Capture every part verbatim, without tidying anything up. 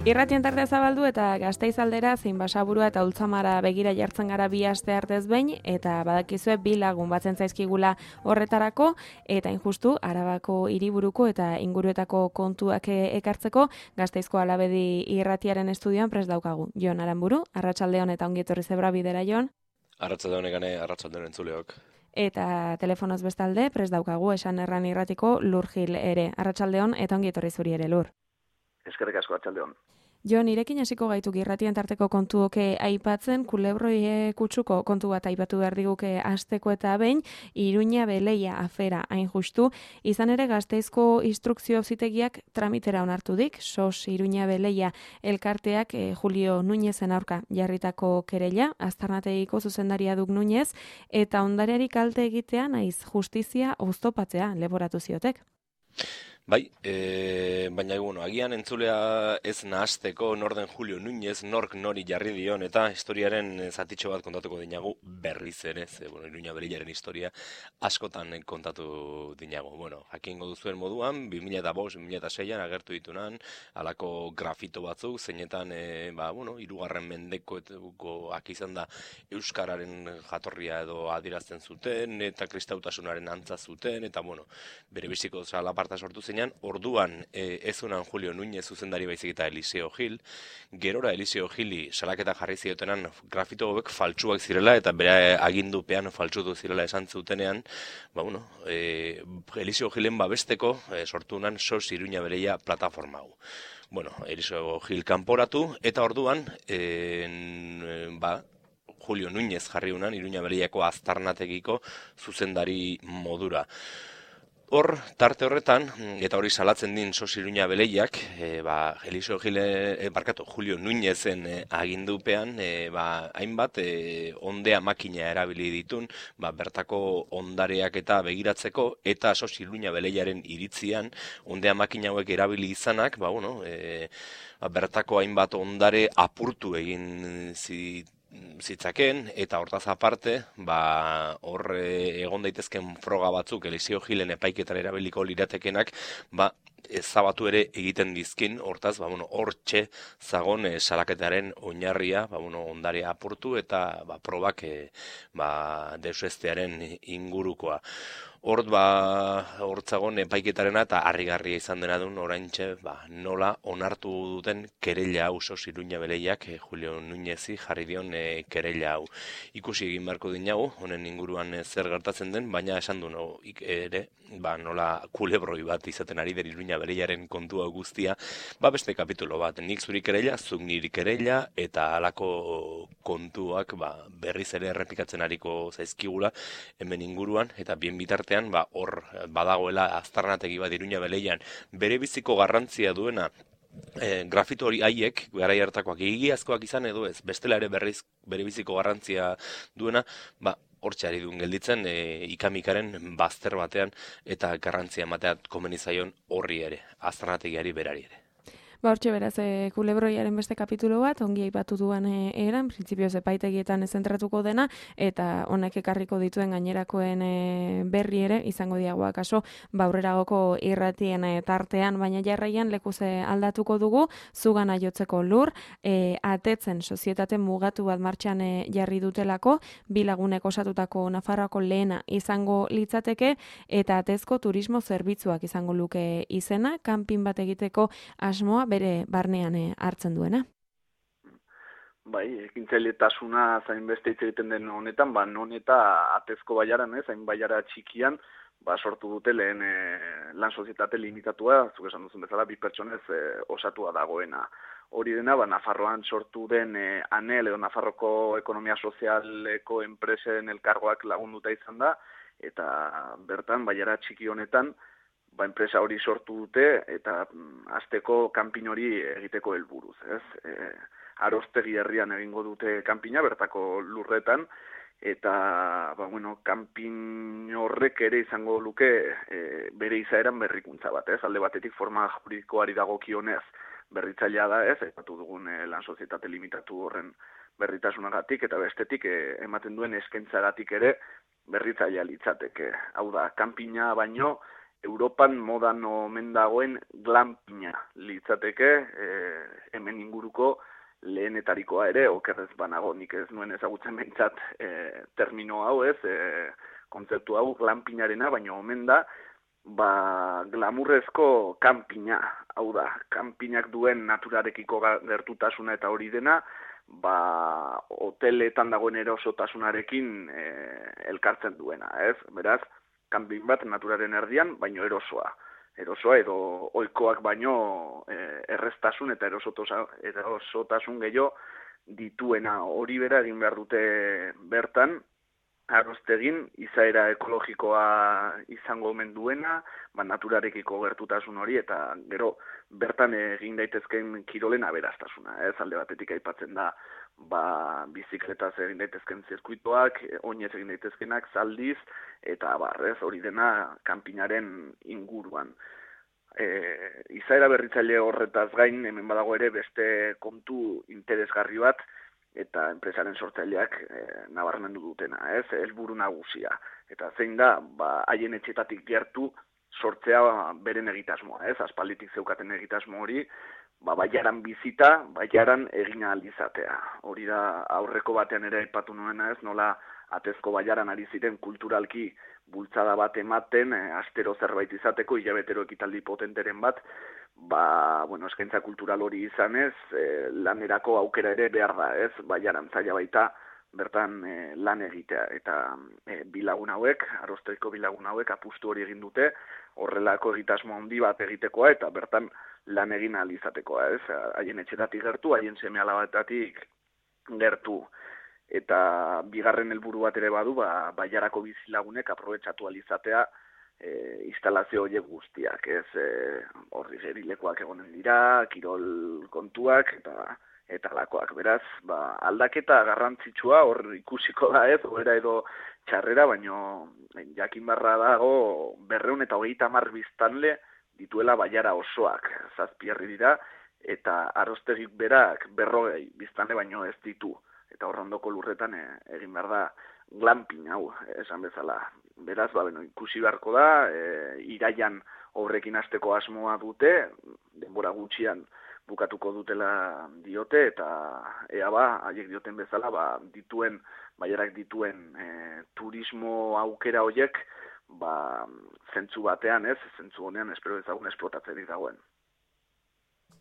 Irratien tartea zabaldu eta Gasteiz aldera zein Basaburua eta Ultzamara begira jartzen gara bi aste artez behin, eta badakizue bi lagun batzen zaizkigula horretarako, eta injustu Arabako hiriburuko eta inguruetako kontuak ekartzeko Gasteizko Alabedi Irratiaren estudioan prest daukagu. Jon Aranburu, arratsaldeon eta ongi etorri Zebra Bidera, Jon. Arratsaldeon egane, arratsaldeon entzuleok. Eta telefonoz bestalde prest daukagu Esan Erran Irratiko Lur Gil ere. Arratsaldeon eta ongi etorri zuri ere, Lur. Eskerrik asko, arratsaldeon. Jo, nirekin hasiko gaituk irratien tarteko kontuoke aipatzen, kulebroi kutsuko kontu bat aipatu behar diguke asteko eta behin, Iruña Beleia afera hain justu, izan ere Gasteizko instrukzio auzitegiak tramitera onartu dik, sos Iruña Beleia elkarteak eh, Julio Núñezen aurka jarritako kereila, aztarnategiko zuzendaria duk Núñez, eta ondareari kalte egitea naiz justizia oztopatzea leboratu ziotek. Bai, e, baina bueno, agian entzulea ez nahasteko nor den Julio Núñez, nork nori jarri dion, eta historiaren zatitxo bat kontatuko dinagu berriz ere, ze, bueno, Iruña Beleiaren historia askotan kontatu dinagu. Bueno, jakingo duzuen moduan, bi mila bost, bi mila seian agertu ditunan, halako grafito batzuk, zeinetan, e, ba, bueno, hirugarren mendekoak izan da euskararen jatorria edo adierazten zuten, eta kristautasunaren antza zuten, eta, bueno, bere biziko zalaparta sortu zen. Orduan e, ezunan Julio Núñez zuzendari baizik eta Eliseo Gil, gerora Eliseo Gili salaketa jarri ziotenan grafito hauek faltsuak zirela eta bere agindupean faltsutu zirela esan zutenean, ba, bueno, e, Eliseo Gilen babesteko e, sortunan sos Iruña Beleia plataforma hau. Bueno, Eliseo Gil kanporatu eta orduan e, en, ba, Julio Núñez jarri unan Iruña Beleiako aztarnategiko zuzendari modura. Hor, tarte horretan, eta hori salatzen din sos Iruña Beleiak, e, ba, Eliseo Gile, e, barkatu, Julio Núñezen e, agindupean, e, ba, hainbat e, ondea makina erabili ditun, ba, bertako ondareak eta begiratzeko, eta sos Iruña Beleiaren iritzian, ondea makina hauek erabili izanak, ba, bueno, e, ba, bertako hainbat ondare apurtu egin zit, zitzaken, eta hortaz aparte, ba, hor egon daitezken froga batzuk Eliseo Gilen epaiketan erabiliko liratekenak, ba, ezabatu ere egiten dizkin, hortaz, ba, bueno, hortxe zagon e, salaketaren oinarria, ba, bueno, ondare apurtu eta ba, probak e, ba, deusestearen ingurukoa. Hort, ba, hortzagon epaiketarena eta harrigarria izan dena duen oraintxe, ba, nola onartu duten kereila hau sos Iruña Beleiak e, Julio Núñezi jarri dion e, kereila hau. Ikusi egin beharko dinagu, honen inguruan e, zer gertatzen den, baina esan du no, ik, ere, ba, nola kulebroi bat izaten ari den Iruña Beleiaren kontua guztia, ba, beste kapitulo bat, nik zuri kereila, zuk niri kereila, eta halako kontuak ba, berriz ere errepikatzen ariko zaizkigula hemen inguruan, eta bien bitartean, ba, hor badagoela aztarnategi bat Iruña Beleian bere biziko garrantzia duena, e, grafito hori haiek, garai hartakoak egiazkoak izan edo ez, bestela ere berriz bere biziko garrantzia duena, ba, hortxe ari duen gelditzen, e, ikamikaren bazter batean eta garrantzia emateat komenizaion horri ere, aztarnategiari berari ere. Ba, hortxe beraz, e, kulebroiaren beste kapitulo bat, ongi aipatu duan e, eran, printzipioz epaitegietan zentratuko dena, eta honek ekarriko dituen gainerakoen e, berri ere, izango diagoa kaso, baurreragoko irratien e, tartean, baina jarraian lekuze aldatuko dugu, zugana jotzeko Lur, e, atetzen sozietate mugatu bat martxan e, jarri dutelako, bi lagunek osatutako Nafarroako lehena izango litzateke, eta atezko turismo zerbitzuak izango luke izena, kanpin bat egiteko asmoa bere barnean hartzen duena. Bai, ekintzailetasuna zain beste hitz egiten den honetan, ba, non eta atezko baiaran, ez, hain baiara txikian, ba, sortu dute lehen e, lan sozietate limitatua, zuk esan duzun bezala, bi pertsonez e, osatua dagoena. Hori dena, ba, Nafarroan sortu den e, ANEL edo Nafarroko Ekonomia Sozialeko enpresen elkargoak lagunduta izan da, eta bertan, baiara txiki honetan, ba, enpresa hori sortu dute eta mm, azteko kanpin hori egiteko helburuz, ez? E, Arostegi herrian egingo dute kanpina bertako lurretan eta ba, bueno, kanpin horrek ere izango luke e, bere izaeran berrikuntza bat, ez? Alde batetik forma juridikoari dagokionez berritzailea da, ez? Aipatu dugun e, lan sozietate limitatu horren berritasunagatik eta bestetik e, ematen duen eskaintzagatik ere berritzailea litzateke. Hau da, kanpina baino Europan modan omen dagoen glampina litzateke, e, hemen inguruko lehenetarikoa ere, okerrez banago, nik ez nuen ezagutzen behintzat e, termino hau ez, e, kontzeptu hau glampinarena, baina omen da, ba, glamurrezko kanpina, hau da, kanpinak duen naturarekiko gertutasuna eta hori dena, ba, hoteletan dagoen erosotasunarekin e, elkartzen duena, ez? Beraz, kanpin bat naturaren erdian, baino erosoa. Erosoa edo ohikoak baino e, erreztasun eta erosotasun gehiago dituena. Hori bera egin behar dute bertan, arrostegin, izaera ekologikoa izango omen duena, ba, naturarekiko gertutasun hori, eta gero bertan egin daitezken kirolen aberastasuna. Ez alde batetik aipatzen da, ba, bizikletaz egin daitezken zirkuitoak, oinez egin daitezkenak, zaldiz, eta barrez hori dena kanpinaren inguruan. E, izaera berritzaile horretaz gain, hemen badago ere beste kontu interesgarri bat, eta enpresaren sortzaileak e, nabarmendu dutena, ez, helburu nagusia. Eta zein da, ba, haien etxetatik gertu sortzea beren egitasmoa, ez, aspalditik zeukaten egitasmo hori, ba, baiaran bizita, baiaran egin ahal izatea. Hori da aurreko batean ere aipatu nuena, ez, nola Atezko baiaran ari ziren kulturalki bultzada bat ematen, e, astero zerbait izateko, hilabetero ekitaldi potenteren bat, ba, bueno, eskaintza kultural hori izanez, e, lanerako aukera ere behar da, ez, baiaran zaila baita, bertan e, lan egitea, eta e, bilagun hauek, Arosteko bilagun hauek apustu hori egin dute, horrelako egitasmo handi bat egitekoa, eta bertan lan egin ahal izatekoa, ez, haien etxetatik gertu, haien seme alabetatik gertu, eta bigarren helburu bat ere badu, ba, baiarako bizilagunek aprobetxatu ahal izatea e, instalazio horiek guztiak, ez, e, horri gerilekoak egonen dira, kirol kontuak, eta eta lakoak. Beraz, ba, aldaketa garrantzitsua hor ikusiko da, ez, hobera edo txarrera, baino jakin barra dago berreun eta hogeita hamar biztanle dituela baiara osoak, zazpierri dira, eta Arostegik berak berrogei biztanle baino ez ditu. Eta horrondoko lurretan e, egin behar da glamping hau, esan bezala. Beraz, ba, beno, ikusi beharko da, e, iraian horrekin hasteko asmoa dute, denbora gutxian bukatuko dutela diote, eta ea ba, haiek dioten bezala, ba, dituen, baiarak dituen e, turismo aukera horiek, ba, zentzu batean, ez, zentzu honean espero ezagun esplotatzerik dagoen.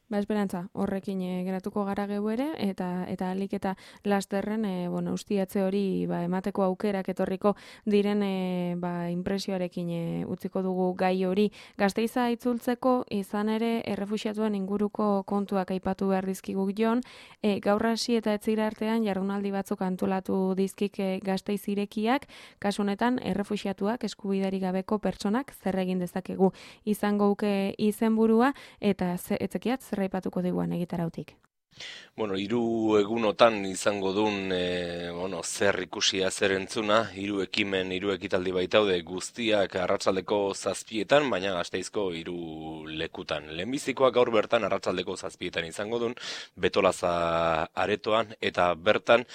Ba, esperantza, horrekin e, geratuko gara geu ere, eta eta alik eta lasterren, e, bueno, ustiatze hori ba, emateko aukerak etorriko diren e, ba, impresioarekin e, utziko dugu gai hori. Gasteiza itzultzeko izan ere errefuxiatuen inguruko kontuak aipatu behar dizkigu Jon, e, gaur hasi eta etzira artean jardunaldi batzuk antolatu dizkik e, Gasteiz irekiak, kasu honetan errefuxiatuak eskubidari gabeko pertsonak zer egin dezakegu izango uke izenburua, eta ze, etzekiat aipatuko diguan egitarautik. Bueno, hiru egunotan izango duen e, bueno, zer ikusia zer entzuna, hiru ekimen, hiru ekitaldi baitaude guztiak arratsaldeko zazpietan, baina Gasteizko hiru lekutan. Lehenbizikoa gaur bertan arratsaldeko zazpietan izango duen, Betolaza aretoan, eta bertan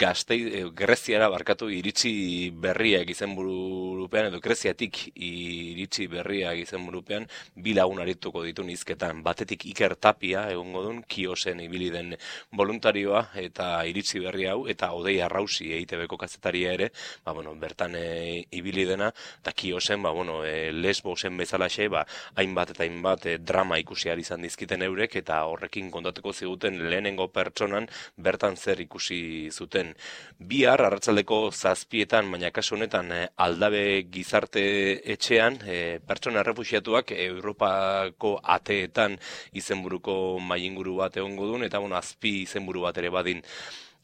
Gasteiz, Greziara barkatu iritsi berriak izenburupean, edo Greziatik iritsi berriak izenburupean, bi lagun arituko ditu hizketan. Batetik Iker Tapia egongo duen, Kiosen ibili den voluntarioa eta iritsi berri hau, eta Odei Arrausi E I T B-ko kazetaria ere, ba, bueno, bertan e, ibili dena, eta Kiosen, ba, bueno, e, Lesbosen bezalaxe, ba, hainbat eta hainbat e, drama ikusi ahal izan dizkiten eurek, eta horrekin kontatuko ziguten lehenengo pertsonan bertan zer ikusi zuten. Bihar, arratsaldeko zazpietan, baina kasu honetan e, Aldabe gizarte etxean, e, pertsona errefuxiatuak Europako ateetan izenburuko mailinguru bat egongo duen, eta bueno, azpi izenburu bat ere badin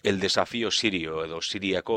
El Desafío Sirio, edo Siriako,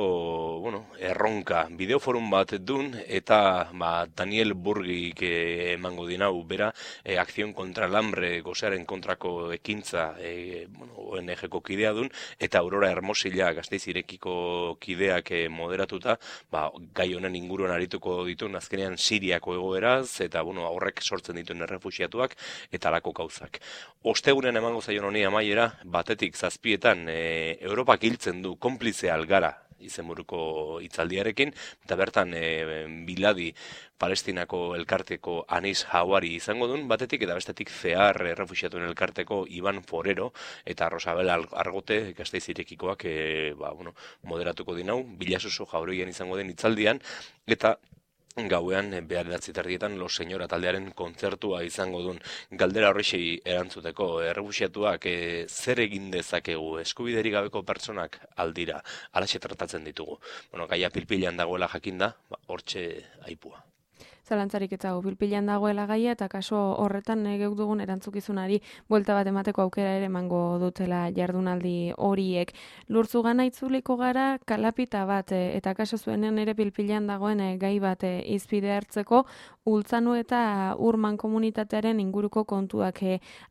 bueno, erronka bideoforum bat dun, eta ba, Daniel Burgik eh, emango dinau, bera, eh, Acción contra el Hambre gozearen kontrako ekintza eh, bueno, O N G-ko kidea dun, eta Aurora Hermosilla Gasteiz irekiko kideak eh, moderatuta, ba, gai honen inguruan arituko ditun, azkenean Siriako egoeraz, eta bueno, horrek sortzen dituen errefuxiatuak, eta alako gauzak. Ostegunen emango zaion honi amaiera, batetik zazpietan, eh, Europa hiltzen du konplize algara izenburuko hitzaldiarekin, eta bertan e, Biladi Palestinako elkarteko Anis Hawari izango duen batetik, eta bestetik Zehar errefuxiatuen elkarteko Iban Forero eta Rosabel Argote Gasteiz irekikoak e, ba, bueno, moderatuko dinau, Bilasuso Jauregian izango den hitzaldian, eta gauean bederatzi terdietan Los Señora taldearen kontzertua izango duen. Galdera horrexei erantzuteko, errefuxiatuak e, zer egin dezakegu, eskubideri gabeko pertsonak aldira, alaxe tratatzen ditugu. Bueno, gaia pilpilan dagoela jakinda, ba, hortxe aipua. Zalantzarik ez dago, pilpilan dagoela gaia, eta kaso horretan geuk dugun erantzukizunari buelta bat emateko aukera ere emango dutela jardunaldi horiek. Lurtzugana itzuliko gara kalapita bat, eta kaso zuenean ere pilpilan dagoen gai bat izpide hartzeko, Ultzanu eta Ur mankomunitatearen inguruko kontuak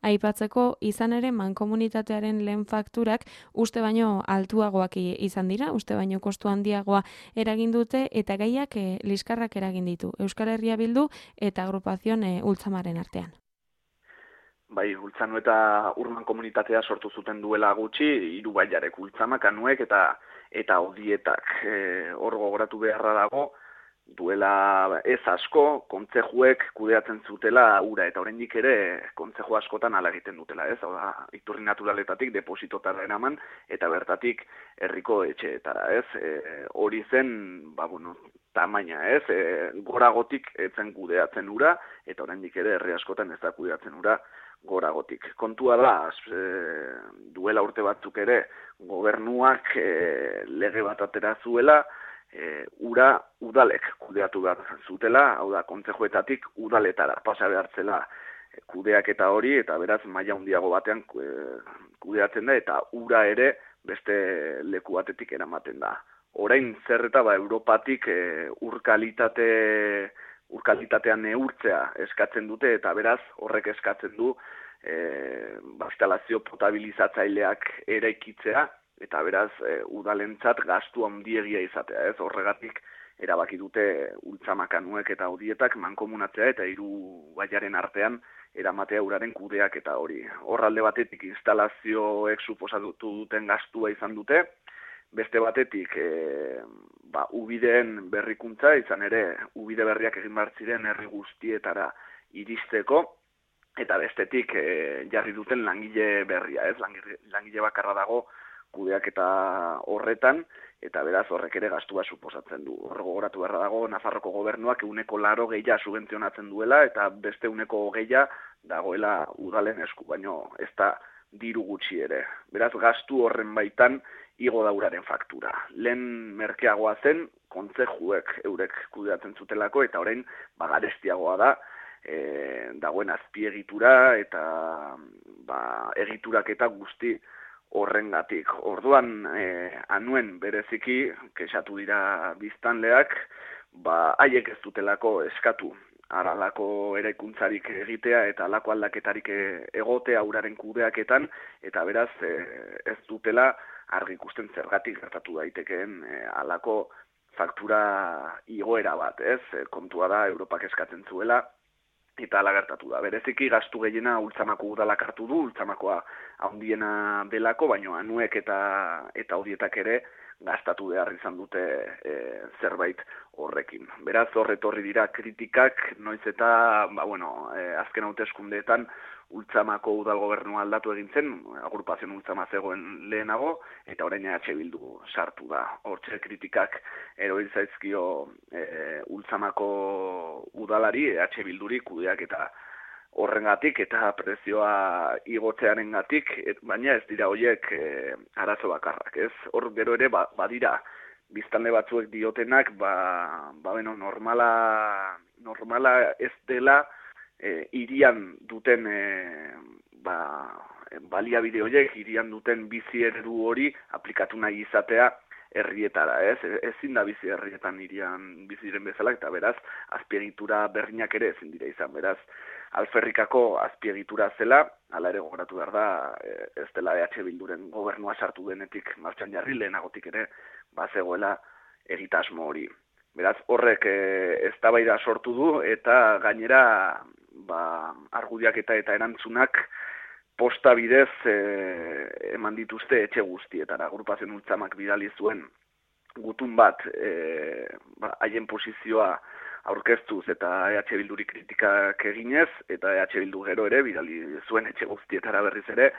aipatzeko, izan ere mankomunitatearen lehen fakturak uste baino altuagoak izan dira, uste baino kostu handiagoa eragin dute, eta gaiak e, liskarrak eragin ditu. Euskal Herria Bildu eta agrupazion e, Ultzamaren artean. Bai, Ultzanu eta Urman komunitatea sortu zuten duela gutxi, hiru bailarek, Ultzamak, Anuek eta eta Odietak. E, hor gogoratu beharra dago, duela ez asko, kontzejuek kudeatzen zutela ura, eta oraindik ere kontzeju askotan ala egiten dutela, ez? Hau da, iturri naturaletatik depositotara eraman, eta bertatik herriko etxeetara, ez? E, hori zen, ba, bueno, tamaina, ez? E, goragotik etzen kudeatzen ura, eta oraindik ere herri askotan ez da kudeatzen ura goragotik. Kontua da, e, duela urte batzuk ere, gobernuak e, lege bat atera zuela, E, ura udalek kudeatu behar zutela, hau da, kontzejuetatik udaletara pasa behartzela e, kudeaketa hori, eta beraz maila handiago batean e, kudeatzen da, eta ura ere beste leku batetik eramaten da. Orain zerreta ba Europatik e, urkalitate urkalitatea neurtzea eskatzen dute, eta beraz horrek eskatzen du e, ba, instalazio potabilizatzaileak eraikitzea, eta beraz, e, udalentzat gastu handiegia izatea, ez? Horregatik erabaki dute Ultzamak, Anuek eta Odietak mankomunatzea eta hiru baiaren artean eramatea uraren kudeak eta hori. Horralde batetik instalazioek suposatu duten gastua izan dute, beste batetik e, ba, ubideen berrikuntza, izan ere ubide berriak egin behar ziren herri guztietara iristeko, eta bestetik e, jarri duten langile berria, ez? Langile, langile bakarra dago kudeak eta horretan, eta beraz horrek ere gastua suposatzen du. Horre gogoratu beharra dago, Nafarroko gobernuak euneko laro gehiago subentzionatzen duela, eta beste euneko gehiago dagoela udalen esku, baino ez da diru gutxi ere. Beraz, gastu horren baitan igo da uraren faktura. Lehen merkeagoa zen, kontzejuek eurek kudeatzen zutelako, eta orain bagarestiagoa da, e, dagoen azpiegitura eta ba, egiturak eta guzti horrengatik. Orduan, e, Anuen bereziki, kexatu dira biztanleak, ba, haiek ez dutelako eskatu aralako eraikuntzarik egitea eta alako aldaketarik egotea uraren kudeaketan, eta beraz e, ez dutela argi ikusten zergatik gertatu daitekeen e, alako faktura igoera bat, ez? E, kontua da, Europak eskatzen zuela, eta ala gertatu da. Bereziki gastu gehiena Ultzamako udalak hartu du, Ultzamakoa handiena delako, baina Anuek eta eta Odietak ere gastatu behar izan dute e, zerbait horrekin. Beraz, horretorri dira kritikak, noiz eta, ba, bueno, e, azken hauteskundeetan Ultzamako udal gobernua aldatu egin zen, agrupazion Ultzama zegoen lehenago, eta orain E H Bildu sartu da. Hortxe kritikak eroil zaizkio e, Ultzamako udalari, E H Bilduri kudeak eta horrengatik eta prezioa igotzearengatik, baina ez dira horiek e, arazo bakarrak, ez? Hor gero ere ba, badira biztanle batzuek diotenak, ba, ba beno, normala, normala ez dela e, irian duten e, ba, baliabide horiek, irian duten bizi eredu hori aplikatu nahi izatea herrietara, ez? Ezin da bizi herrietan irian biziren bezala, eta beraz, azpiegitura berriak ere ezin dira izan, beraz, Alferrikako azpiegitura zela, hala ere gogoratu behar da, ez dela E H Bilduren gobernua sartu denetik martxan jarri, lehenagotik ere bazegoela egitasmo hori. Beraz, horrek e, eztabaida sortu du, eta gainera ba, argudiak eta eta erantzunak posta bidez e, eman dituzte etxe guztietara. Agrupazion Ultzamak bidali zuen gutun bat e, ba, haien posizioa aurkeztuz eta E H Bilduri kritikak eginez, eta E H Bildu gero ere, bidali zuen etxe guztietara berriz ere,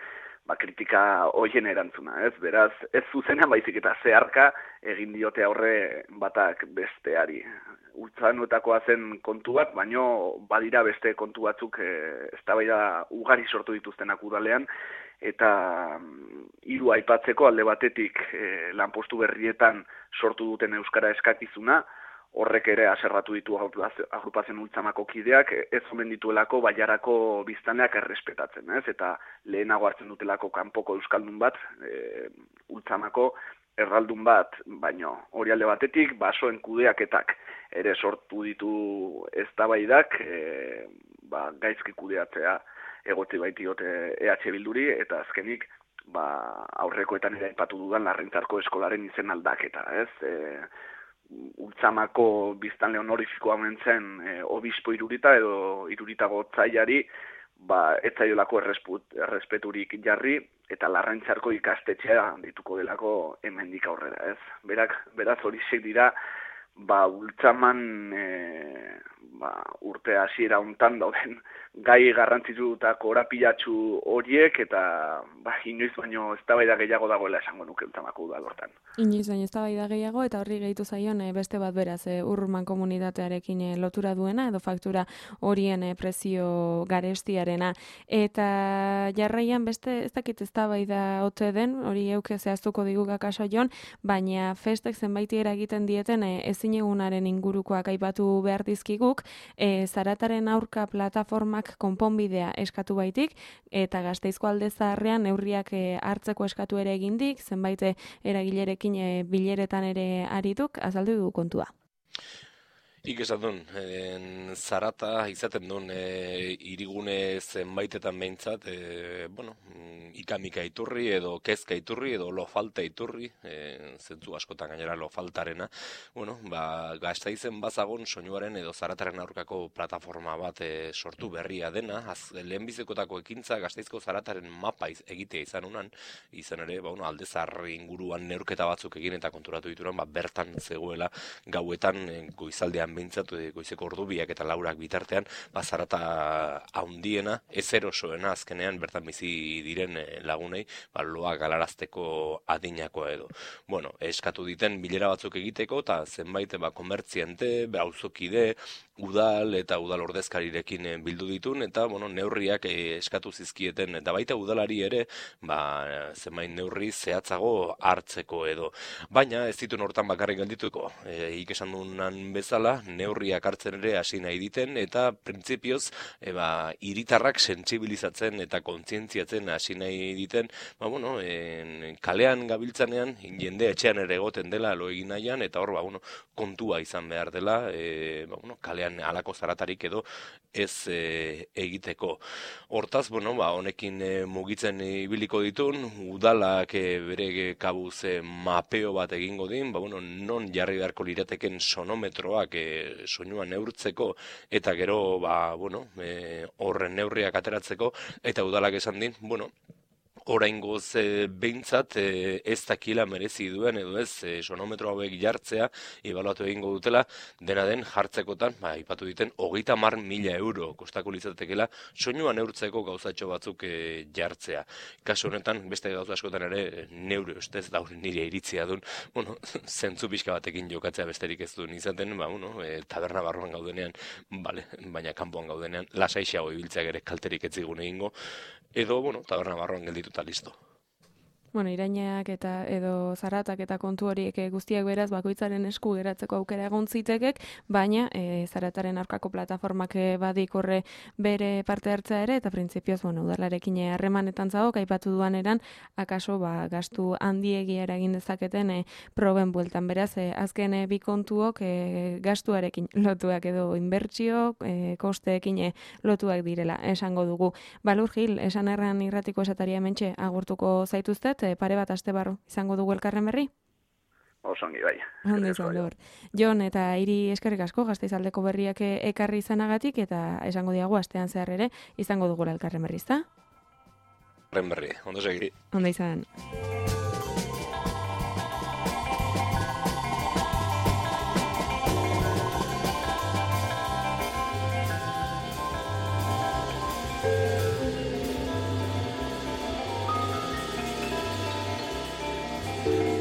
ba, kritika hoien erantzuna, ez? Beraz, ez zuzena baizik eta zeharka egin diote aurre batak besteari. Ultzanoetakoa zen kontu bat, baino badira beste kontu batzuk e, eztabaida ugari sortu dituztenak udalean, eta hiru aipatzeko alde batetik e, lanpostu berrietan sortu duten euskara eskakizuna, horrek ere aserratu ditu agrupazioen Ultzamako kideak, ez omen dituelako Bailarako biztanleak errespetatzen, ez? Eta lehenago hartzen dutelako kanpoko euskaldun bat, e, Ultzamako erraldun bat, baino hori alde batetik, basoen kudeaketak ere sortu ditu eztabaidak, e, ba, gaizki kudeatzea egotzi baitiote E H Bilduri, eta azkenik, ba, aurrekoetan ere aipatu dudan Larrentzarko eskolaren izen aldaketa, ez? E, Ultzamako biztanle honorifikoa mentzen e, obispo Irurita edo Irurita gotzaiari, ba, ez zaiolako errespeturik jarri, eta Larrentzarko ikastetxea dituko delako hemendik aurrera, ez? Berak, beraz horiek dira, ba, Ultzaman e, ba, urte hasiera hontan dauden gai garrantzitsu eta korapilatsu horiek, eta ba, inoiz baino eztabaida gehiago dagoela esango nuke Ultzamako udal hortan. Inoiz baino eztabaida gehiago, eta horri gehitu zaion e, beste bat beraz, e, Urruman komunitatearekin e, lotura duena, edo faktura horien e, prezio garestiarena. Eta jarraian beste ez dakit eztabaida ote den, hori euke zehaztuko digu akaso jon, baina festek zenbaitiera egiten dieten e, ezinegunaren ingurukoak aipatu behar dizkiguk, e, Zarataren aurka plataformak konponbidea eskatu baitik, eta Gasteizko alde zaharrean neurriak e, hartzeko eskatu ere egindik, zenbait eragilerekin e, bileretan ere arituk, azaldu du kontua. Ik esan duen, en, Zarata izaten duen e, irigune zenbaitetan behintzat, e, bueno, ikamika iturri edo kezka iturri edo lo falta iturri, e, zentzu askotan gainera lo faltarena, bueno, ba, Gasteizen bazagon soinuaren edo Zarataren aurkako plataforma bat e, sortu berria dena, az, lehenbizekotako ekintza Gasteizko Zarataren mapa iz, egitea izan unan, izan ere, ba, bueno, aldezarri inguruan neurketa batzuk egin eta konturatu dituran, ba, bertan zegoela gauetan e, goizaldean behintzat, goizeko ordubiak eta laurak bitartean, ba, Zarata haundiena, ez erosoena azkenean bertan bizi diren lagunei, ba, loa galarazteko adinakoa edo. Bueno, eskatu diten bilera batzuk egiteko, eta zenbait, ba, komertziante, ba, auzokide, udal eta udal ordezkarirekin bildu ditun, eta, bueno, neurriak eskatu zizkieten, eta baita udalari ere, ba, zenbait neurri zehatzago hartzeko edo. Baina, ez ditun hortan bakarrik geldituko, e, ikesan dunan bezala, neurriak hartzen ere hasi nahi diten, eta printzipioz, e, ba, hiritarrak sentsibilizatzen eta kontzientziatzen hasi nahi diten, ba, bueno, en, kalean gabiltzanean, jende etxean ere egoten dela lo egin nahian, eta hor, ba, bueno, kontua izan behar dela, e, ba, bueno, kalean halako zaratarik edo ez e, egiteko. Hortaz, bueno, ba, honekin e, mugitzen ibiliko ditun, udalak e, bere kabuz e, mapeo bat egingo din, ba, bueno, non jarri beharko lirateken sonometroak e, soinua neurtzeko, eta gero, ba, bueno, e, horren neurriak ateratzeko, eta udalak esan din, bueno, oraingoz e, behintzat e, ez dakila merezi duen edo ez e, sonometro hauek jartzea ebaluatu egingo dutela, dena den jartzekotan, ba, ipatu diten, hogeita hamar mila euro kostako litzatekela soinua neurtzeko gauzatxo batzuk e, jartzea. Kasu honetan, beste gauza askotan ere neure ustez da nire iritzia duen, bueno, zentzu pixka batekin jokatzea besterik ez duen izaten, ba, bueno, e, taberna barruan gaudenean, bale, baina kanpoan gaudenean, lasaixeago ibiltzeak ere kalterik ez zigun egingo, edo, bueno, taberna barruan geldituta listo. Bueno, irainak eta edo zaratak eta kontu horiek guztiak beraz bakoitzaren esku geratzeko aukera egon zitekek, baina e, zarataren aurkako plataformak badik horre bere parte hartzea ere, eta printzipioz, bueno, udalarekin harremanetan zago, aipatu duan eran, akaso ba, gastu handiegia eragin dezaketen e, proben bueltan. Beraz, e, azken e, bi kontuok e, gastuarekin lotuak edo inbertsio, e, kosteekin e, lotuak direla, esango dugu. Balur Gil, esan erran irratiko esataria mentxe agurtuko zaituztet, pare bat aste barru izango dugu elkarren berri? Osongi, bai. Ondo izan dur. Jon, eta hiri eskerrik asko Gasteizaldeko berriak ekarri izanagatik, eta esango diagu astean zehar ere izango dugu elkarren berri, ezta? Elkarren berri, ondo segi. Ondo izan. Agur.